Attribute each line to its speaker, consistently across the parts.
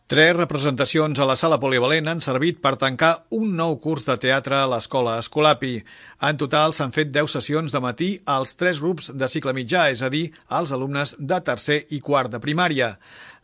Speaker 1: Tres representacions a la sala polivalent han servit per tancar un nou curs de teatre a l'escola Escolapi. En total s'han fet 10 sessions de matí als 3 grups de cicle mitjà, és a dir, als alumnes de tercer i quart de primària.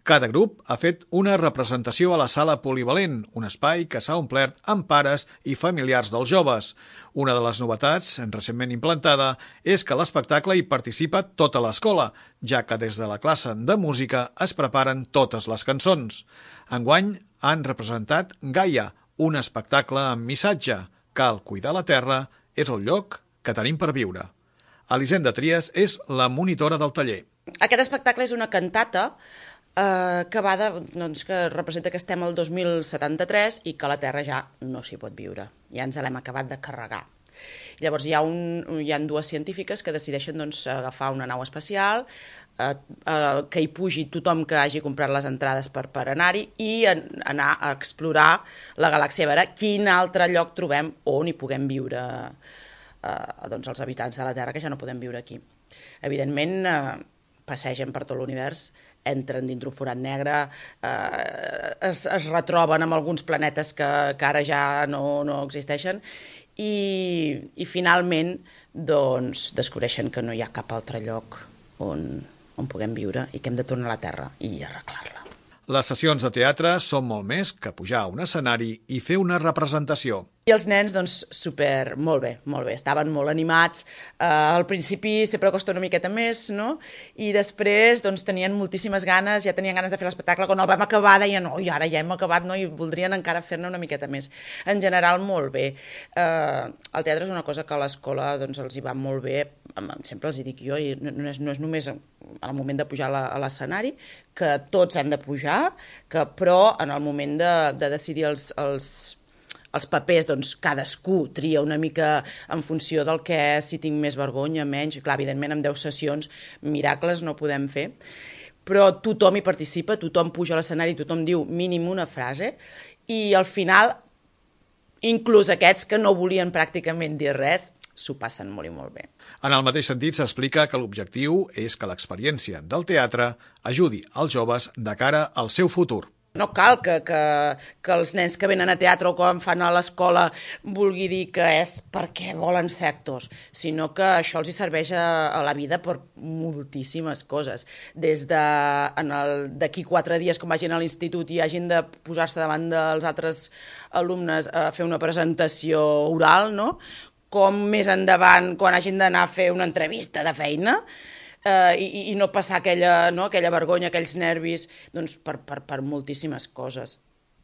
Speaker 1: Cada grup ha fet una representació a la sala polivalent, un espai que s'ha omplert amb pares i familiars dels joves. Una de les novetats, recentment implantada, és que a l'espectacle hi participa tota l'escola, ja que des de la classe de música es preparen totes les cançons. Enguany han representat Gaia, un espectacle amb missatge. Cal cuidar la terra, és el lloc que tenim per viure. Elisenda Trias és la monitora del taller.
Speaker 2: Aquest espectacle és una cantata que representa que estem al 2073 i que la Terra ja no s'hi pot viure. Ja ens l'hem acabat de carregar. Llavors hi ha dues científiques que decideixen agafar una nau espacial, que hi pugi tothom que hagi comprat les entrades per anar-hi i anar a explorar la galàxia, a veure quin altre lloc trobem on hi puguem viure els habitants de la Terra, que ja no podem viure aquí. Evidentment, passegen per tot l'univers, entren dintre un forat negre, es retroben amb alguns planetes que ara ja no existeixen i finalment descobreixen que no hi ha cap altre lloc on puguem viure i que hem de tornar a la Terra i arreglar-la.
Speaker 1: Les sessions de teatre són molt més que pujar a un escenari i fer una representació.
Speaker 2: I els nens, molt bé, estaven molt animats. Al principi sempre costa una miqueta més, no? I després tenien moltíssimes ganes, ja tenien ganes de fer l'espectacle. Quan el vam acabar deien, oi, ara ja hem acabat, no? I voldrien encara fer-ne una miqueta més. En general, molt bé. El teatre és una cosa que a l'escola els hi va molt bé, sempre els hi dic jo, i no és només al moment de pujar a l'escenari, que tots hem de pujar, però en el moment de decidir els papers, cadascú tria una mica en funció del que si tinc més vergonya, menys. Clar, evidentment, amb 10 sessions, miracles no podem fer, però tothom hi participa, tothom puja a l'escenari, tothom diu mínim una frase, i al final, inclús aquests que no volien pràcticament dir res, s'ho passen molt i molt bé.
Speaker 1: En el mateix sentit, s'explica que l'objectiu és que l'experiència del teatre ajudi els joves de cara al seu futur.
Speaker 2: No cal que els nens que venen a teatre o que fan a l'escola vulgui dir que és perquè volen ser actors, sinó que això els hi serveix a la vida per moltíssimes coses. Des d'aquí 4 dies, quan vagin a l'institut i hagin de posar-se davant dels altres alumnes a fer una presentació oral, no? Com més endavant, quan hagin d'anar a fer una entrevista de feina, i no passar aquella vergonya, aquells nervis, per moltíssimes coses.